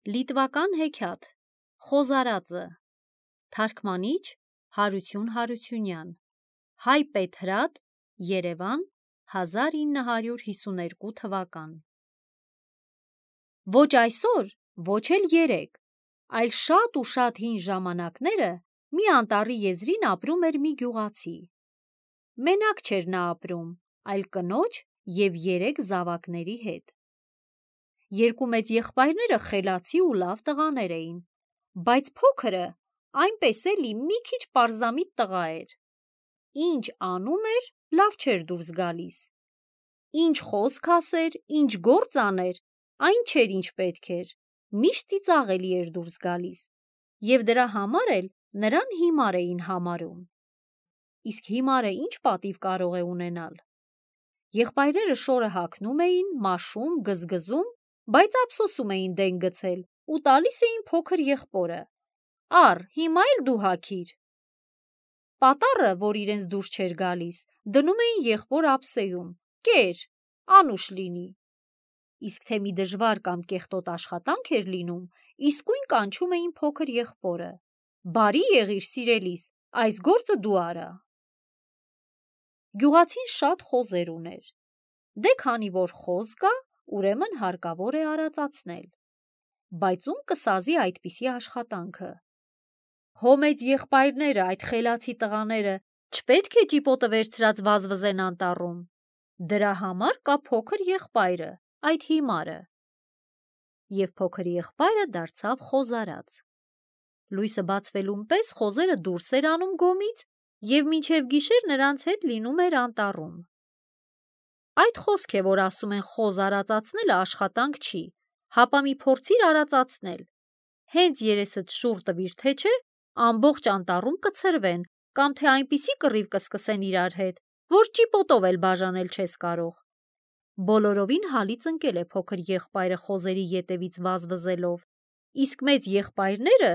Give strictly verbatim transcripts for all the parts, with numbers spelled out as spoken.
Լիտվական հեքիաթ Խոզարածը Թարգմանիչ Հարություն Հարությունյան Հայ Պետհրատ Երևան հազար ինը հարյուր հիսուներկու թվական Ոչ այսօր, ոչ էլ երեկ, այլ շատ ու շատ հին ժամանակները մի անտառի եզրին ապրում էր մի գյուղացի։ Մենակ չէր նա ապրում, այլ կնոջ և երեք զավակների հետ։ Երկու մեծ եղբայրները խելացի ու լավ տղաներ էին, բայց փոքրը այնպես էլի մի քիչ պարզամիտ տղա էր։ Ինչ անում էր, լավ չէր դուրս գալիս։ Ինչ խոսք ասեր, ինչ գործ աներ, այն չէր ինչ պետք էր, միշտ ծիծաղելի էր դուրս գալիս, և դրա համար էլ նրան հիմար էին համարում։ Իսկ հիմարը ինչ պատիվ կարող է ունենալ։ Եղբայրները շորը հագնում էին, մաշում, գզգզում, բայց ափսոսում էին դեն գցել ու տալիս էին փոքր եղբորը. «Առ, հիմա էլ դու հագիր»։ Պատառը, որ իրենց դուրս չէր գալիս, դնում էին եղբոր ափսեում. «Կեր, անուշ լինի»։ Իսկ թե մի դժվար կամ կեղտոտ աշխատանք էր լինում, իսկույն կանչում էին փոքր եղբորը. «Բարի եղիր, սիրելիս, այս գործը դու արա»։ Գյուղացին շատ խոզեր ուներ։ Դե քանի որ խոզ կա, ուրեմն հարկավոր է արածացնել։ Բայց ում կսազի այդպիսի աշխատանքը։ Հո մեծ եղբայրները, այդ խելացի տղաները, չպետք է ճիպոտը վերցրած վազվզեն անտառում։ Դրա համար կա փոքր եղբայրը, այդ հիմարը։ Եվ փոքր եղբայրը դարձավ խոզարած։ Լույսը բացվելուն պես խոզերը դուրս էր անում գոմից և մինչև գիշեր նրանց հետ լինում էր անտառում։ Այդ խոսք է, որ ասում են խոզ արածացնելը աշխատանք չի, հապա մի փորձիր արածացնել։ Հենց երեսդ շուռ տվիր, թե չէ, ամբողջ անտառում կցրվեն կամ թե այնպիսի կռիվ կսկսեն իրար հետ, որ ճիպոտով էլ բաժանել չես կարող։ Բոլորովին հալից ընկել է փոքր եղբայրը խոզերի ետևից վազվզելով, իսկ մեծ եղբայրները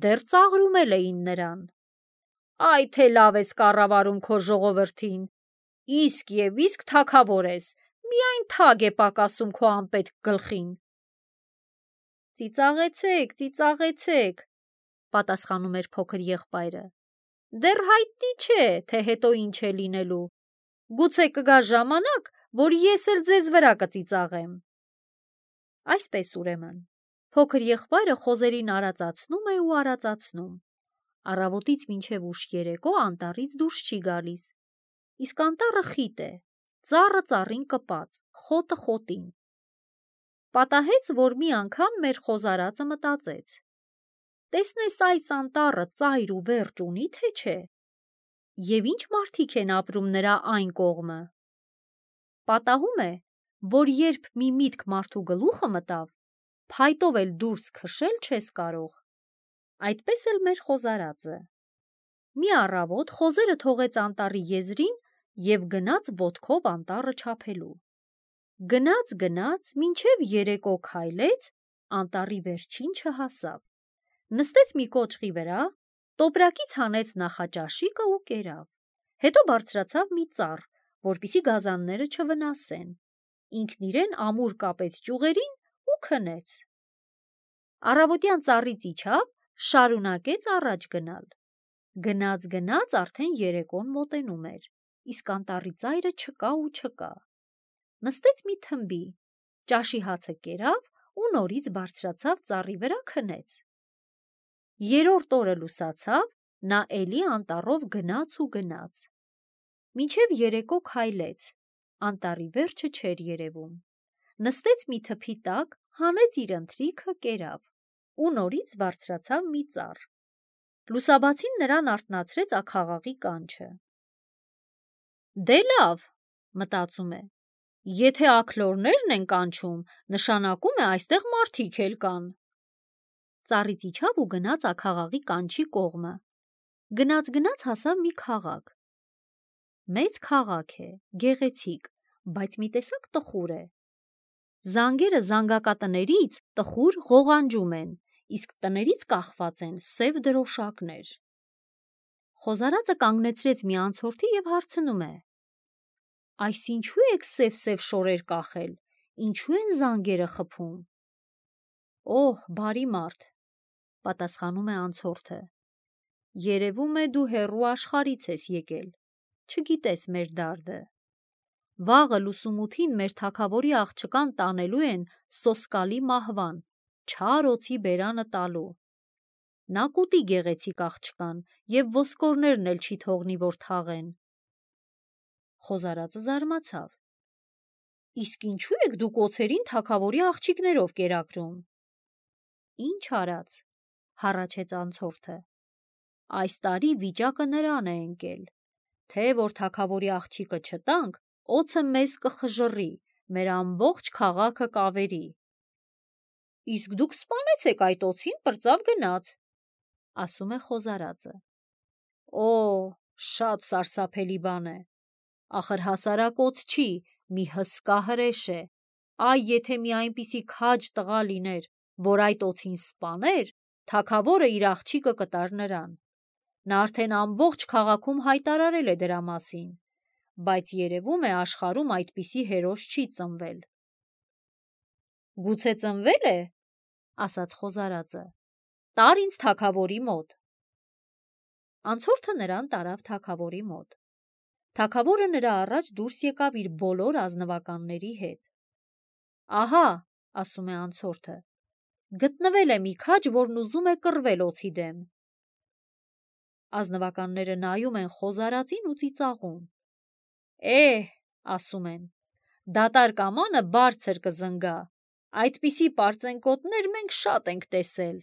դեռ ծաղրում էլ էին նրան. «Այ թե լավ ես կառավարում քո ժողովրդին, իսկ և իսկ թագավոր ես, միայն թագ է պակասում քո անպետք գլխին»։ «Ծիծաղեցեք, ծիծաղեցեք», պատասխանում էր փոքր եղբայրը, «դեռ հայտնի չէ, թե հետո ինչ է լինելու։ Գուցե կգա ժամանակ, որ ես էլ ձեզ վրա կծիծաղեմ»։ Այսպես ուրեմն, փոքր եղբայրը խոզերին արածացնում է ու արածացնում։ Առավոտից մինչև ուշ երեկո անտառից դուրս չի գալիս։ Իսկ անտառը խիտ է, ծառը ծառին կպած, խոտը խոտին։ Պատահեց, որ մի անգամ մեր խոզարածը մտածեց. «Տեսնես այս անտառը ծայր ու վերջ ունի, թե չէ, և ինչ մարդիկ են ապրում նրա այն կողմը։ Պատահում է, որ երբ մի միտք մարդու գլուխը մտավ, փայտով էլ դուրս քշել չես կարող։ Այդպես էլ մեր խոզարածը։ Մի առավոտ խոզերը թողեց անտառի եզրին և գնաց ոտքով անտառը չափելու։ Գնաց, գնաց, մինչև երեկո քայլեց, անտառի վերջին չհասավ։ Նստեց մի կոճղի վրա, տոպրակից հանեց նախաճաշիկը ու կերավ։ Հետո բարձրացավ մի ծառ, որպեսզի գազանները չվնասեն։ Ինքն իրեն ամուր կապեց ճյուղերին ու քնեց։ Առավոտյան ծառից իջավ, շարունակեց առաջ գնալ։ Գնաց, գնաց, արդեն երեկոն մոտենում էր, իսկ անտառի ծայրը չկա ու չկա։ Նստեց մի թմբի, ճաշի հացը կերավ ու նորից բարձրացավ ծառի վրա քնեց։ Երրորդ օրը լուսացավ, նա էլի անտառով գնաց ու գնաց։ Մինչև երեկո քայլեց, անտառի վերջը չէր երևում։ Նստեց մի թփի տակ, հանեց իր ընթրիքը, կերավ ու նորից բարձրացավ մի ծառ։ Լուսաբացին նրան արթնացրեց աքաղաղի կանչը։ «Դե լավ, մտածում է, եթե աքլորներն են կանչում, նշանակում է այստեղ մարդիկ էլ կան»։ Ծառից իջավ ու գնաց աքաղաղի կանչի կողմը։ Գնաց, գնաց հասավ մի քաղաք։ Մեծ քաղաք է, գեղեցիկ, բայց մի տեսակ տխուր է։ Զանգերը զանգակատներից տխուր ղողանջում են, իսկ տներից կախված են սև դրոշակներ։ Խոզարածը կանգնեցրեց մի անցորդի և հարցնում է. «Այս ինչու եք սև-սև շորեր կախել, ինչու են զանգերը խփում»։ Օհ, բարի մարդ, պատասխանում է անցորդը։ Երևում է դու հեռու աշխարհից ես եկել, չգիտես մեր դարդը։ Վաղը լուսումութին մեր թագավորի աղջկան տանելու են սոսկալի մահվան, չար օձի բերանը տալու։ Նա կուտի գեղեցիկ աղջկան և ոսկորներն էլ չի թողնի, որ թաղեն։ Խոզարածը զարմացավ. Իսկ ինչու եք դուք օձերին թագավորի աղջիկներով կերակրում։ Ինչ արած, հառաչեց անցորդը, այս տարի վիճակը նրան է ընկել, թե որ թագավորի աղջիկը չտանք, օձը մեզ կխժռի, մեր ամբողջ քաղաքը կավերի։ Իսկ դուք սպանեցեք այդ օձին, պրծավ գնաց, ասում է խոզարածը։ Օ, շատ սարսափելի բան է, ախր հասարակ օձ չի, մի հսկա հրեշ է, այ եթե մի այնպիսի քաջ տղա լիներ, որ այդ օձին սպաներ, թագավորը իր աղջիկը կտար նրան։ Նա արդեն ամբողջ քաղաքում հայտարարել է դրա մասին, բայց երևում է աշխարհում այդպիսի հերոս չի ծնվել։ Գուցե ծնվել է, ասաց խոզարածը, տար ինձ թագավորի մոտ։ Անցորդը նրան տարավ թագավորի մոտ։ Թագավորը նրա առաջ դուրս եկավ իր բոլոր ազնվականների հետ։ Ահա, ասում է անցորդը, գտնվել է մի քաջ, որն ուզում է կռվել օձի դեմ։ Ազնվականները նայում են խոզարածին ու ծիծաղում։ Էհ, ասում են, դատարկ ամանը բարձր կզնգա, այդպիսի պարծենկոտներ մենք շատ ենք տեսել։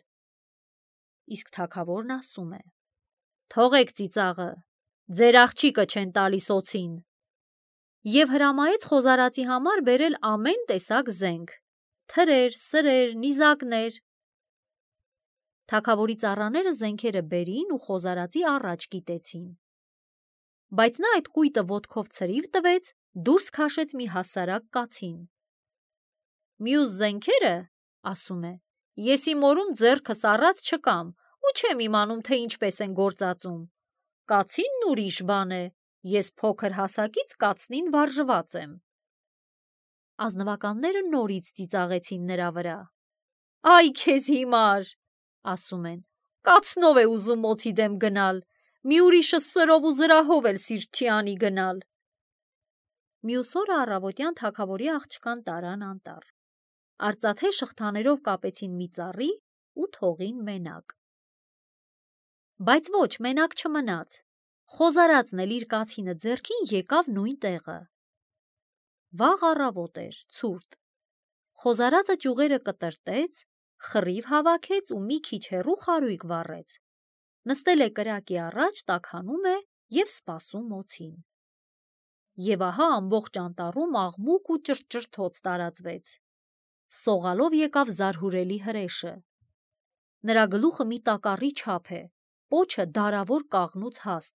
Իսկ թագավորն ասում է. Թողեք ծիծաղը, ձեր աղջիկը չեն տալիս օձին։ Եվ հրամայեց խոզարածի համար բերել ամեն տեսակ զենք, թրեր, սրեր, նիզակներ։ Թագավորի ծառաները զենքերը բերին ու խոզարածի առաջ կիտեցին։ Բայց նա այդ կույտը ոտքով ցրիվ տվեց, դուրս քաշեց մի հասարակ կացին։ Մյուս զենքերը, ասում է, ես իմ օրում ձեռքս առած չկամ ու չեմ իմանում, թե ինչպես են գործածում։ Կացինն ուրիշ բան է, ես փոքր հասակից կացնին վարժված եմ։ Ազնվականները նորից ծիծաղեցին նրա վրա։ Այ քեզ հիմար, ասում են, կացնով է ուզում օձի դեմ գնալ, մի ուրիշը սրով ու զրահով էլ սիրտ չի անի գնալ։ Մյուս օրը առավոտյան թագավորի աղջկան տարան անտառ։ Արծաթե շղթաներով կապեցին մի ծառի ու թողին մենակ։ Բայց ոչ, մենակ չմնաց։ Խոզարածն էլ իր կացինը ձեռքին եկավ նույն տեղը։ Վաղ առավոտ էր, ցուրտ։ Խոզարածը ճյուղերը կտրտեց, խռիվ հավաքեց ու մի քիչ հեռու խարույկ վառեց։ Նստել է կրակի առաջ, տաքանում է և սպասում օձին։ Եվ ահա ամբողջ անտառում աղմուկ ու ճռճռթոց տարածվեց։ Սողալով եկավ զարհուրելի հրեշը։ Նրա գլուխը մի տակառի չափ է, պոչը դարավոր կաղնուց հաստ,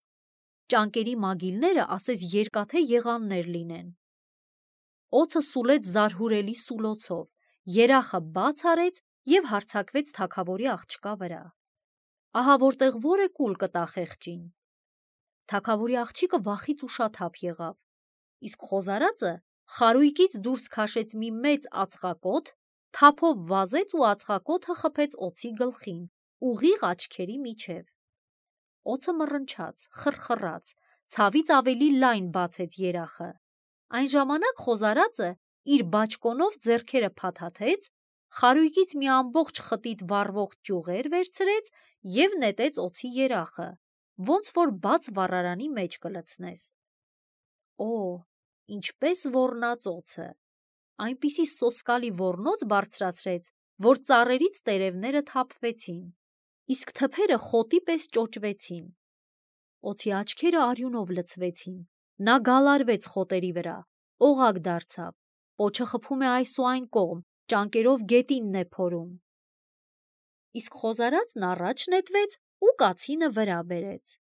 ճանկերի մագիլները ասես երկաթե եղաններ լինեն։ Օձը սուլեց զարհուրելի սուլոցով, երախը բաց արեց և հարձակվեց թագավորի աղջկա վրա։ Ահա որտեղ որ է կուլ կտա խեղճին։ Թագավորի աղջիկը վախից ուշաթափ եղավ, իսկ խոզարածը խարույկից դուրս քաշեց մի մեծ ածխակոթ, թափով վազեց ու ածխակոթը խփեց օձի գլխին, ուղիղ աչքերի միջև։ Օձը մռնչաց, խռխռաց, ցավից ավելի լայն բացեց երախը։ Այն ժամանակ խոզարածը իր բաճկոնով ձեռքերը փաթաթեց, խարույկից մի ամբողջ խտիտ վառվող ճյուղեր վերցրեց և նետեց օձի երախը, ոնց որ բաց վառարանի մեջ կլցնես։ Օ, ինչպես ոռնաց օձը, այնպիսի սոսկալի ոռնոց բարձրացրեց, որ ծառերից տերևները թափվեցին, իսկ թփերը խոտի պես ճոճվեցին։ Օձի աչքերը արյունով լցվեցին, նա գալարվեց խոտերի վրա, օղակ դարձավ, պոչը խփում է այս ու այն կողմ, ճանկերով գետինն է փորում։ Իսկ խոզարածն առաջ նետվեց ու կացինը վրա բերեց։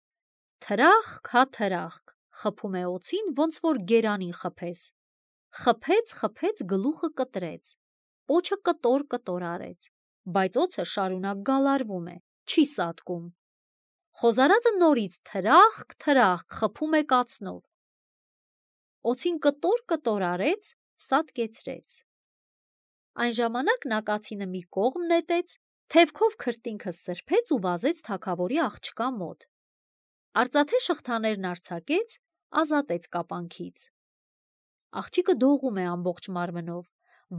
Թրախկ հա թրախկ, խփում է օձին, ոնց որ գերանին խփես։ Խփեց, խփեց, գլուխը կտրեց, պոչը կտոր-կտոր արեց, բայց օձը շարունակ գալարվում է, չի սատկում։ Խոզարածը նորից թրախկ, թրախկ, խփում է կացնով։ Օձին կտոր-կտոր արեց, սատկեցրեց։ Այն ժամանակ նա կացինը մի կողմ նետեց, թևքով քրտինքը սրբեց ու վազեց թագավորի աղջկա մոտ։ Արծաթե շղթաներն արձակեց, ազատեց կապանքից։ Աղջիկը դողում է ամբողջ մարմնով,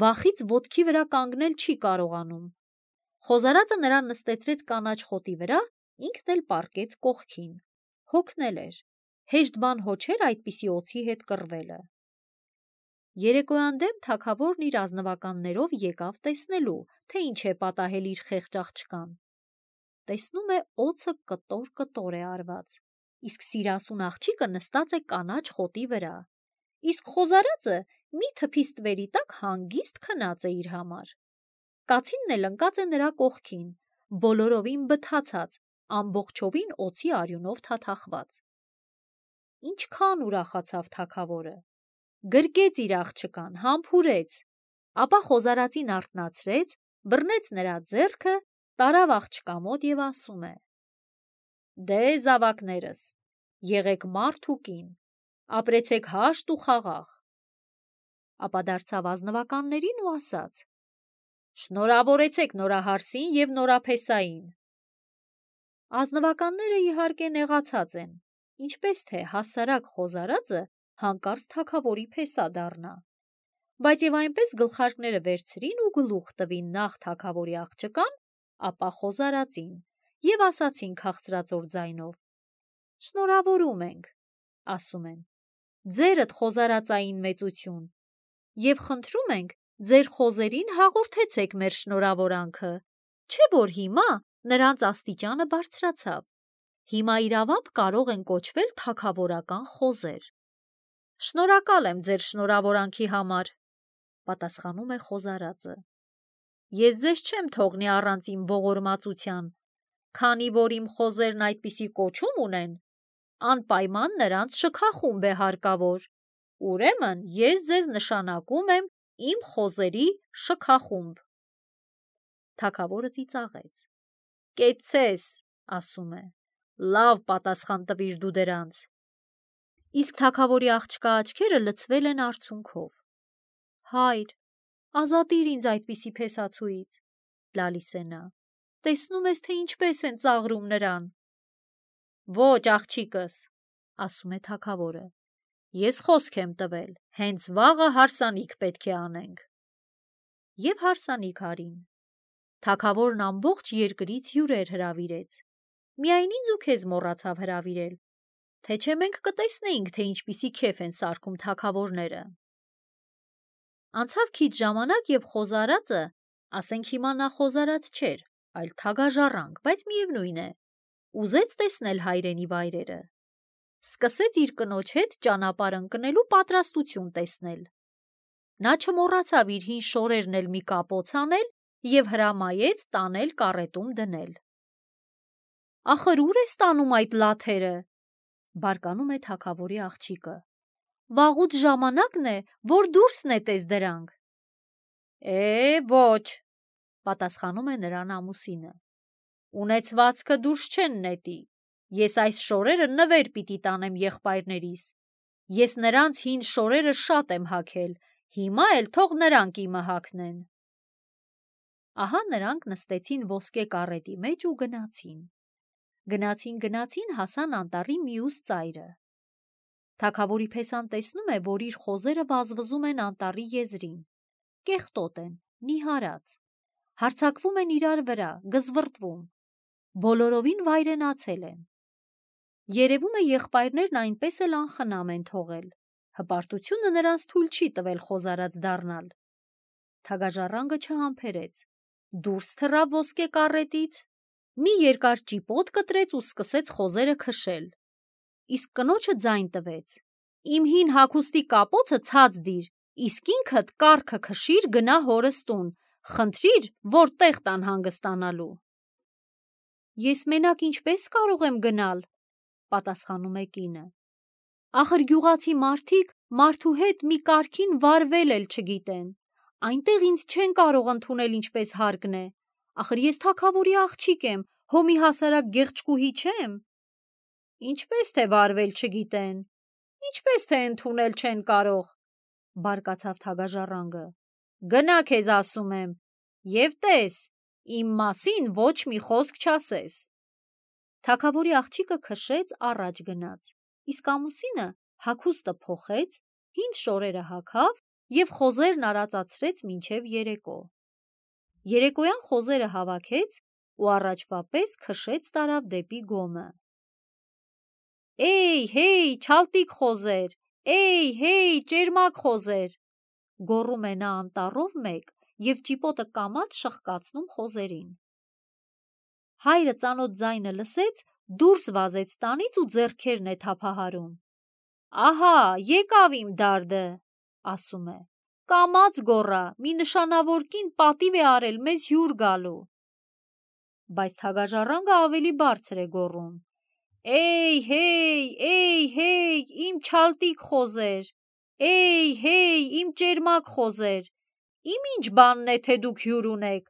վախից ոտքի վրա կանգնել չի կարողանում։ Խոզարածը նրան նստեցրեց կանաչ խոտի վրա, ինքն էլ պառկեց կողքին։ Հոգնել էր, հեշտ բան հո չէր այդպիսի օձի հետ կռվելը։ Երեկոյան դեմ թագավորն իր ազնվականներով եկավ տեսնելու, թե ինչ է պատահել իր խեղճ աղջկան։ Տեսնում է, օձը կտոր-կտոր է արված, իսկ սիրասուն աղջիկը նստած է կանաչ խոտի վրա, իսկ խոզարածը մի թփի ստվերի տակ հանգիստ քնած է իր համար։ Կացինն էլ ընկած է նրա կողքին, բոլորովին բթացած, ամբողջովին օձի արյունով թաթախված։ Ինչքան ուրախացավ թագավորը, գրկեց իր աղջկան, համբուրեց, ապա խոզարածին արթնացրեց, բռնեց նրա ձեռքը, տարավ աղջկա մոտ և ասում է. «Դե զավակներս, եղեք մարդ ու կին, ապրեցեք հաշտ ու խաղաղ»։ Ապա դարձավ ազնվականներին ու ասաց. «Շնորհավորեցեք նորահարսին և նորափեսային»։ Ազնվականները իհարկե նեղացած են, ինչպես թե հասարակ խոզարածը հանկարծ թագավորի փեսա դառնա, բայց և այնպես գլխարկները վերցրին ու գլուխ տվին նախ թագավորի աղջկան, ապա խոզարածին և ասացին քաղցրածոր ձայնով. «Շնորհավորում ենք, ասում են, ձերդ խոզարածային մեծություն, և խնդրում ենք ձեր խոզերին հաղորդեցեք մեր շնորհավորանքը, չէ՞ որ հիմա նրանց աստիճանը բարձրացավ, հիմա իրավամբ կարող են կոչվել թագավորական խոզեր»։ «Շնորհակալ եմ ձեր շնորհավորանքի համար», պատասխանում է խոզարածը։ «Ես ձեզ չեմ թողնի առանց իմ ողորմածության, քանի որ իմ խոզերն այդպիսի կոչում ունեն, անպայման նրանց շքախումբ է հարկավոր, ուրեմն ես ձեզ նշանակում եմ իմ խոզերի շքախումբ»։ Թագավորը ծիծաղեց. «Կեցցես, ասում է, լավ պատասխան տվիր դու դրանց»։ Իսկ թագավորի աղջկա աչքերը լցվել են արցունքով։ «Հայր, ազատիր ինձ այդպիսի փեսացուից», լալիս է նա, «տեսնում ես, թե ինչպես են ծաղրում նրան»։ «Ոչ, աղջիկս, ասում է թագավորը, ես խոսք եմ տվել, հենց վաղը հարսանիք պետք է անենք»։ Եվ հարսանիք արին։ Թագավորն ամբողջ երկրից հյուրեր հրավիրեց, միայն ինձ ու քեզ մոռացավ հրավիրել, թե չէ մենք կտեսնեինք, թե ինչպիսի քեֆ են սարքում թագավորները։ Անցավ քիչ ժամանակ, և խոզարածը, ասենք հիմա նա խոզարած չէր, այլ թագաժառանգ, բայց միևնույն է, ուզեց տեսնել հայրենի վայրերը, սկսեց իր կնոջ հետ ճանապարհ ընկնելու պատրաստություն տեսնել։ Նա չմոռացավ իր հին շորերն էլ մի կապոց անել և հրամայեց տանել կառետում դնել։ «Ախր ուր ես տանում այդ լաթերը», բարկանում է թագավորի աղջիկը, «վաղուց ժամանակն է, որ դուրս նետես դրանք»։ «Է, ոչ», պատասխանում է նրան ամուսինը, «ունեցվածքը դուրս չեն նետի, ես այս շորերը նվեր պիտի տանեմ եղբայրներիս, ես նրանց հին շորերը շատ եմ հագել, հիմա էլ թող նրանք իմը հագնեն»։ Ահա նրանք նստեցին ոսկե կառետի մեջ ու գնացին։ Գնացին-գնացին, հասան անտառի մյուս ծայրը։ Թագավորի փեսան տեսնում է, որ իր խոզերը վազվզում են անտառի եզրին, կեղտոտ են, նիհարած, հարձակվում են իրար վրա, գզվռտվում, բոլորովին վայրենացել են։ Երևում է, եղբայրներն այնպես էլ անխնամ են թողել, հպարտությունը նրանց թույլ չի տվել խոզարած դառնալ։ Թագաժառանգը չհամբերեց, դուրս թռավ ոսկե կառետից, մի երկար ճիպոտ կտրեց ու սկսեց խոզերը քշել, իսկ կնոջը ձայն տվեց. «Իմ հին հագուստի կապոցը ցած դիր, իսկ ինքդ կառքը քշիր գնա հորս տուն, խնդրիր, որ տեղ տան հանգստանալու»։ «Ես մենակ ինչպես կարող եմ գնալ», պատասխանում է կինը, «ախր գյուղացի մարդիկ մարդու հետ մի կարգին վարվել էլ չգիտեն, այնտեղ ինձ չեն կարող ընդունել ինչպես հարկն է, ախր ես թագավորի աղջիկ եմ, հո մի հասարակ գեղեցկուհի չեմ»։ «Ինչպես թե վարվել չգիտեն, ինչպես թե ընդունել չեն կարող», բարկացավ թագաժառանգը, Գնա քեզ ասում եմ, և տես, իմ մասին ոչ մի խոսք չասես։ Թագավորի աղջիկը քշեց առաջ գնաց, իսկ ամուսինը հագուստը փոխեց, հին շորերը հագավ և խոզերն արածացրեց մինչև երեկո։ Երեկոյան խոզերը հավաքեց ու առաջվա պես քշեց տարավ դեպի գոմը։ Էй, հեյ, չալտիկ խոզեր, էй, հեյ, ճերմակ խոզեր, գոռում է նա անտառով մեկ և ճիպոտը կամաց շխկացնում խոզերին։ Հայրը ծանոթ ձայնը լսեց, դուրս վազեց տանից ու ձեռքերն է թափահարում։ Ահա, եկավ իմ դարդը, ասում է, կամաց գոռա, մի նշանավոր կին պատիվ է արել մեզ հյուր գալու։ Բայց թագաժառանգը ավելի բարձր է գոռում. Էй, հեյ, էй, հեյ, իմ չալտիկ խոզեր, էй, հեյ, իմ ճերմակ խոզեր, իմ ինչ բանն է, թե դուք հյուր ունեք,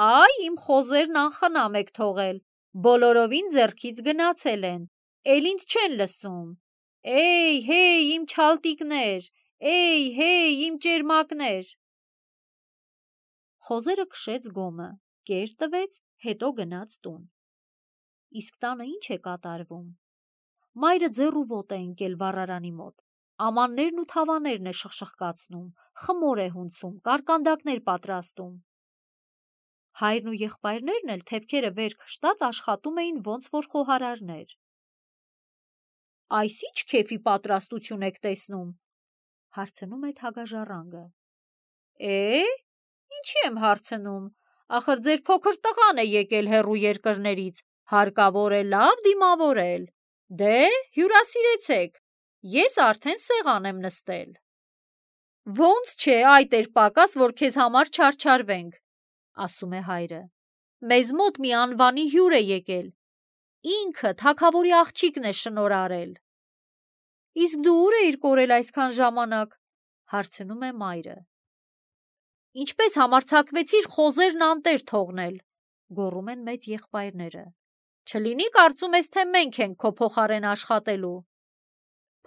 այ իմ խոզերն անխնամ եք թողել, բոլորովին ձեռքից գնացել են, էլ ինձ չեն լսում, էй, հեյ, իմ չալտիկներ, էй, հեյ, իմ ճերմակներ։ Խոզերը քշեց գոմը, կեր տվեց, հետո գնաց տուն։ Իսկ տանը ինչ է կատարվում։ Մայրը ձեռ ու ոտ է ընկել վառարանի մոտ, ամաններն ու թավաներն է շխշխկացնում, խմոր է հունցում, կարկանդակներ պատրաստում։ Հայրն ու եղբայրներն էլ թևքերը վեր քշտած աշխատում էին ոնց որ խոհարարներ։ Այս ի՞նչ քեֆի պատրաստություն եք տեսնում, հարցնում է թագաժառանգը։ Է, ինչի եմ հարցնում, ախր ձեր փոքր տղան է եկել հեռու երկրներից, հարկավոր է լավ դիմավորել։ Դե, հյուրասիրեցեք, ես արդեն սեղան եմ նստել։ Ոնց չէ, այդ էր պակաս, որ քեզ համար չարչարվենք, ասում է հայրը։ Մեզ մոտ մի անվանի հյուր է եկել, ինքը թագավորի աղջիկն է շնորհարել։ Իսկ դու ուր էիր կորել այսքան ժամանակ, հարցնում է մայրը։ Ինչպես համարձակվեցիր խոզերն անտեր թողնել, գոռում են մեծ եղբայրները։ Չլինի կարծում ես, թե մենք ենք քո փոխարեն աշխատելու։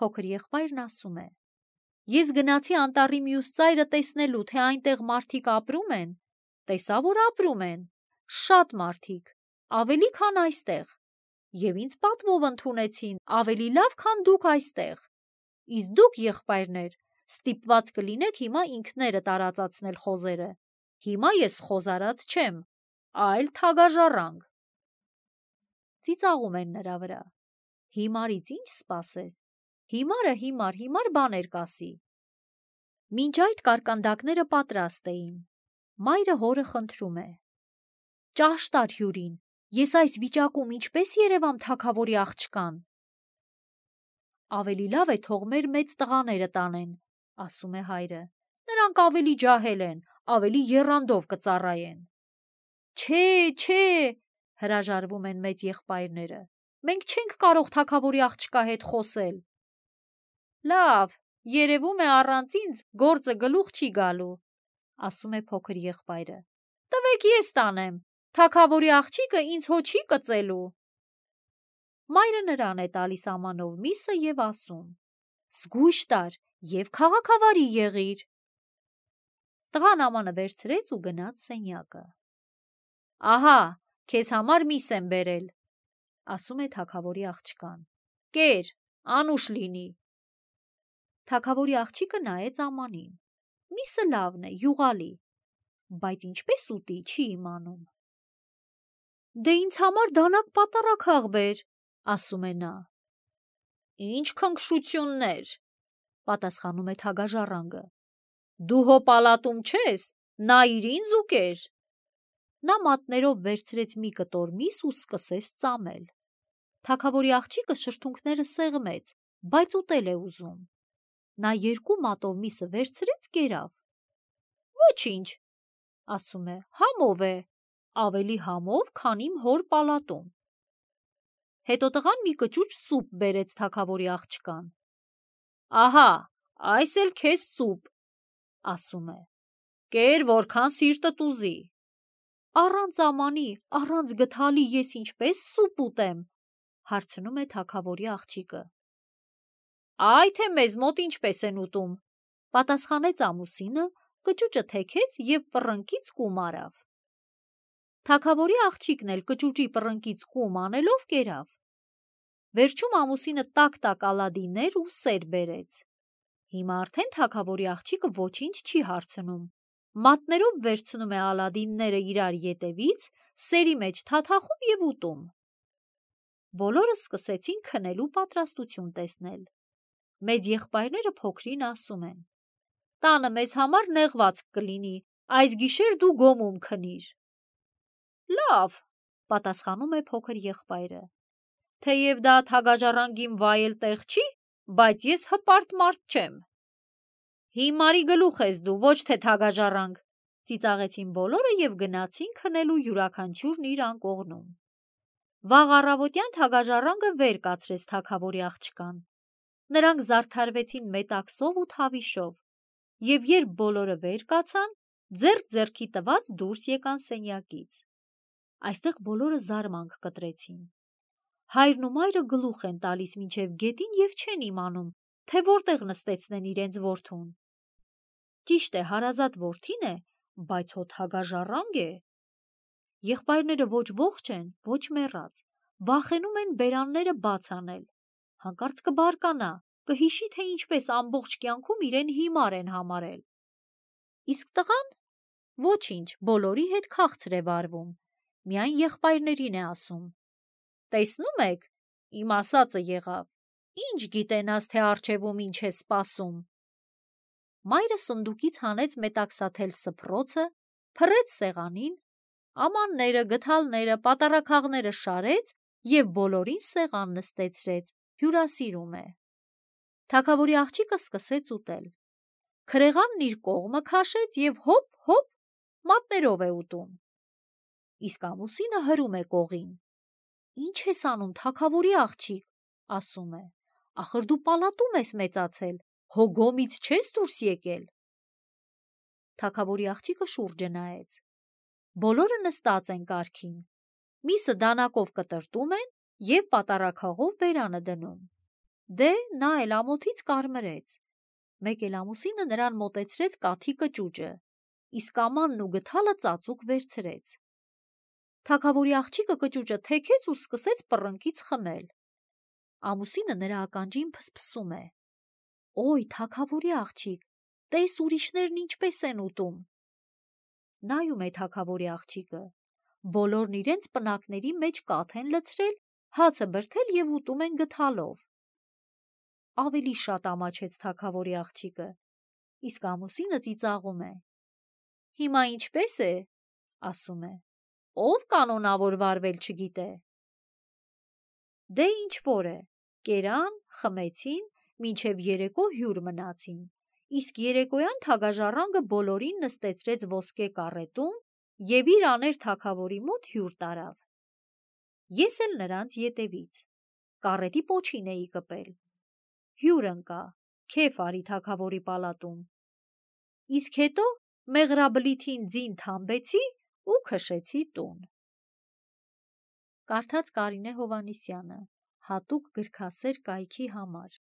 Փոքր եղբայրն ասում է. Ես գնացի անտառի մյուս ծայրը տեսնելու, թե այնտեղ մարդիկ ապրում են, տեսա, որ ապրում են, շատ մարդիկ, ավելի քան այստեղ, և ինձ պատվով ընդունեցին, ավելի լավ, քան դուք այստեղ։ Իսկ դուք, եղբայրներ, ստիպված կլինեք հիմա ինքներդ արածացնել խոզերը։ Հիմա ես խոզարած չեմ, այլ թագաժառանգ։ Ծիծաղում են նրա վրա։ Հիմարից ինչ սպասես։ Հիմարը հիմար, հիմար բաներ կասի։ Մինչ այդ կարկանդակները պատրաստ էին։ Մայրը հորը խնդրում է. Ճաշ տար հյուրին, ես այս վիճակում ինչպես երևամ թագավորի աղջկան։ Ավելի լավ է թող մեր մեծ տղաները տանեն, ասում է հայրը։ Նրանք ավելի ջահել են, ավելի եռանդով կծառայեն։ Չէ, չէ, հրաժարվում են մեծ եղբայրները։ Մենք չենք կարող թագավորի աղջկա հետ խոսել։ Լավ, երևում է առանց ինձ գործը գլուխ չի գալու, ասում է փոքր եղբայրը։ Տվեք ես տանեմ, թագավորի աղջիկը ինձ հո չի կծելու։ Մայրը նրան է տալիս ամանով միսը և ասում. Զգույշ տար և քաղաքավարի եղիր։ Տղան ամանը վերցրեց ու գնաց սենյակը։ Ահա, քեզ համար միս եմ բերել, ասում է թագավորի աղջկան։ Կեր, անուշ լինի։ Թագավորի աղջիկը նայեց ամանին։ Միսը լավն է, յուղալի, բայց ինչպես ուտի, չի իմանում։ Դե ինձ համար դանակ պատարագ աղբեր, ասում է նա։ Ինչ քնքշություններ, պատասխանում է թագաժառանգը։ Դու հո պալատում չես, նայիր ինձ ու կեր։ Նա մատներով վերցրեց մի կտոր միս ու սկսեց ծամել։ Թագավորի աղջիկը շրթունքները սեղմեց, բայց ուտել է ուզում։ Նա երկու մատով միսը վերցրեց, կերավ։ Ոչինչ, ասում է, համով է, ավելի համով, քան իմ հոր պալատում։ Հետո տղան մի կճուճ սուպ բերեց թագավորի աղջկան։ Ահա, այս էլ քեզ սուպ, ասում է։ Կեր, որքան սիրտդ ուզի։ Առանց ամանի, առանց գդալի ես ինչպես սուպ ուտեմ, հարցնում է թագավորի աղջիկը։ Այ թե մեզ մոտ ինչպես են ուտում, պատասխանեց ամուսինը կճուճը թեքեց և պռնկից կում արավ։ Թագավորի աղջիկն էլ կճուճի պռնկից կում անելով կերավ։ Վերջում ամուսինը տակ-տակ ալադիներ ու սեր բերեց։ Հիմա արդեն թագավորի աղջիկը ոչինչ չի հարցնում, մատներով վերցնում է ալադինները իրար ետևից, սերի մեջ թաթախում և ուտում։ Բոլորը սկսեցին քնելու պատրաստություն տեսնել։ Մեծ եղբայրները փոքրին ասում են. «Տանը մեզ համար նեղվածք կլինի, այս գիշեր դու գոմում քնիր»։ «Լավ», պատասխանում է փոքր եղբայրը, «թեև դա թագաժառանգին վայել տեղ չի, բայց ես հպարտ մարդ չեմ»։ «Հիմարի գլուխ ես դու, ոչ թե թագաժառանգ», ծիծաղեցին բոլորը և գնացին քնելու յուրաքանչյուրն իր անկողնում։ Վաղ առավոտյան թագաժառանգը վեր կացրեց թագավորի աղջկան։ Նրանք զարդարվեցին մետաքսով ու թավիշով, և երբ բոլորը վեր կացան, ձեռք ձեռքի տված դուրս եկան սենյակից։ Այստեղ բոլորը զարմանք կտրեցին։ Հայրն ու մայրը գլուխ են տալիս մինչև գետին և չեն իմանում, թե որտեղ նստեցնեն իրենց որդուն։ Ճիշտ է, հարազատ որդին է, բայց հո թագաժառանգ է։ Եղբայրները ոչ ողջ են, ոչ մեռած, վախենում են բերանները բաց անել։ Հանկարծ կբարկանա, կհիշի, թե ինչպես ամբողջ կյանքում իրեն հիմար են համարել։ Իսկ տղան ոչինչ, բոլորի հետ քաղցր է վարվում, միայն եղբայրներին է ասում. «Տեսնում եք, իմ ասածը եղավ, ինչ գիտենաս, թե առջևում ինչ է սպասում»։ Մայրը սնդուկից հանեց մետաքսաթել սփռոցը, փռեց սեղանին, ամանները, գդալները, պատառաքաղները շարեց և բոլորին սեղան նստեցրեց, հյուրասիրում է։ Թագավորի աղջիկը սկսեց ուտել։ Քրեղանն իր կողմը քաշեց և հոп-հոպ մատներով է ուտում։ Իսկ ամուսինը հրում է կողին։ «Ինչ ես անում, թագավորի աղջիկ», ասում է, «ախր դու պալատում ես մեծացել, հո գոմից չես դուրս եկել»։ Թագավորի աղջիկը շուրջը նայեց։ Բոլորը նստած են կարգին, միսը դանակով կտրտում են և պատառաքաղով բերանը դնում։ Դե նա էլ ամոթից կարմրեց։ Մեկ էլ ամուսինը նրան մոտեցրեց կաթի կճուճը, իսկ ամանն ու գդալը ծածուկ վերցրեց։ Թագավորի աղջիկը կճուճը թեքեց ու սկսեց պռնկից խմել։ Ամուսինը նրա ականջին փսփսում է. «Օй, թագավորի աղջիկ, տես ուրիշներն ինչպես են ուտում»։ Նայում է թագավորի աղջիկը։ Բոլորն իրենց պնակների մեջ կաթ են լցրել, հացը բրդել և ուտում են գդալով։ Ավելի շատ ամաչեց թագավորի աղջիկը, իսկ ամուսինը ծիծաղում է։ «Հիմա ինչպե՞ս է», ասում է, «ով կանոնավոր վարվել չգիտե»։ Դե ինչ-որ է, կերան, խմեցին, մինչև երեկո հյուր մնացին, իսկ երեկոյան թագաժառանգը բոլորին նստեցրեց ոսկե կառետում և իր աներ թագավորի մոտ հյուր տարավ։ Ես էլ նրանց ետևից կառետի պոչին էի կպել։ Հյուր ընկա, քեֆ արի թագավորի պալատում։ Իսկ հետո մեղրաբլիթին ձին թամբեցի ու քշեցի տուն։ Կարդաց Կարինե Հովհաննիսյանը, հատուկ գրքասեր կայքի համար։